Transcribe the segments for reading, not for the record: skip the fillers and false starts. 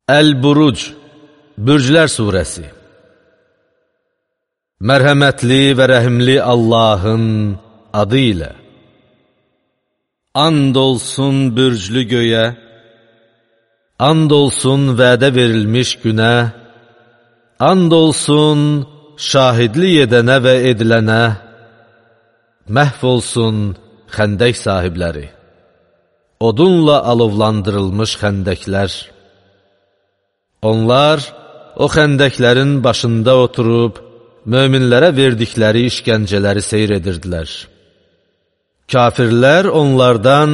Əl-Buruc, Bürclər surəsi. Mərhəmətli və rəhimli Allahın adı ilə. And olsun bürclü göyə, and olsun vədə verilmiş günə, and olsun şahidlik edənə və edilənə, məhv olsun xəndək sahibləri, odunla alovlandırılmış xəndəklər. Onlar o xəndəklərin başında oturub, möminlərə verdikləri işgəncələri seyr edirdilər. Kafirlər onlardan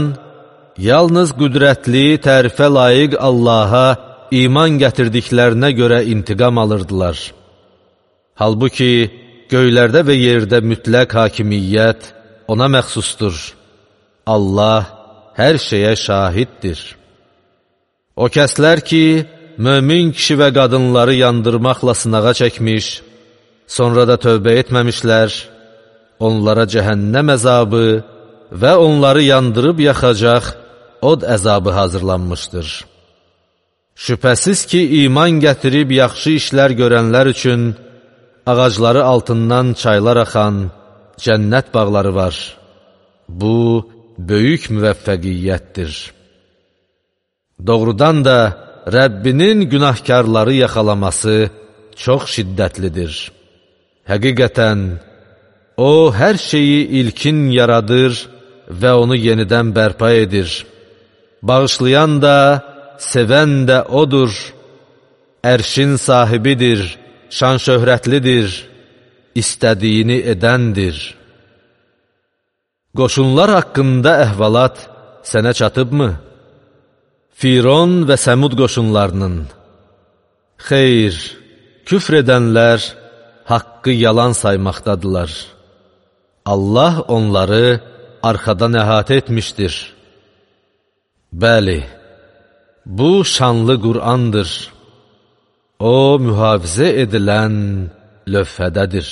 yalnız qüdrətli, tərifə layiq Allaha iman gətirdiklərinə görə intiqam alırdılar. Halbuki göylərdə və yerdə mütləq hakimiyyət ona məxsusdur. Allah hər şeyə şahiddir. O kəslər ki, mömin kişi və qadınları yandırmaqla sınağa çəkmiş, sonra da tövbə etməmişlər, onlara cəhənnəm əzabı və onları yandırıb yaxacaq od əzabı hazırlanmışdır. Şübhəsiz ki, iman gətirib yaxşı işlər görənlər üçün ağacları altından çaylar axan cənnət bağları var. Bu, böyük müvəffəqiyyətdir. Doğrudan da Rəbbinin günahkarları yaxalaması çox şiddətlidir. Həqiqətən, O, hər şeyi ilkin yaradır və onu yenidən bərpa edir. Bağışlayan da, sevən də O'dur. Ərşin sahibidir, şan-şöhrətlidir, istədiyini edəndir. Qoşunlar haqqında əhvalat sənə çatıbmı? Firon və Səmud qoşunlarının. Xeyr, küfr edənlər haqqı yalan saymaqdadılar. Allah onları arxadan əhatə etmişdir. Bəli, bu şanlı Qur'andır. O, mühafizə edilən lövhədədir.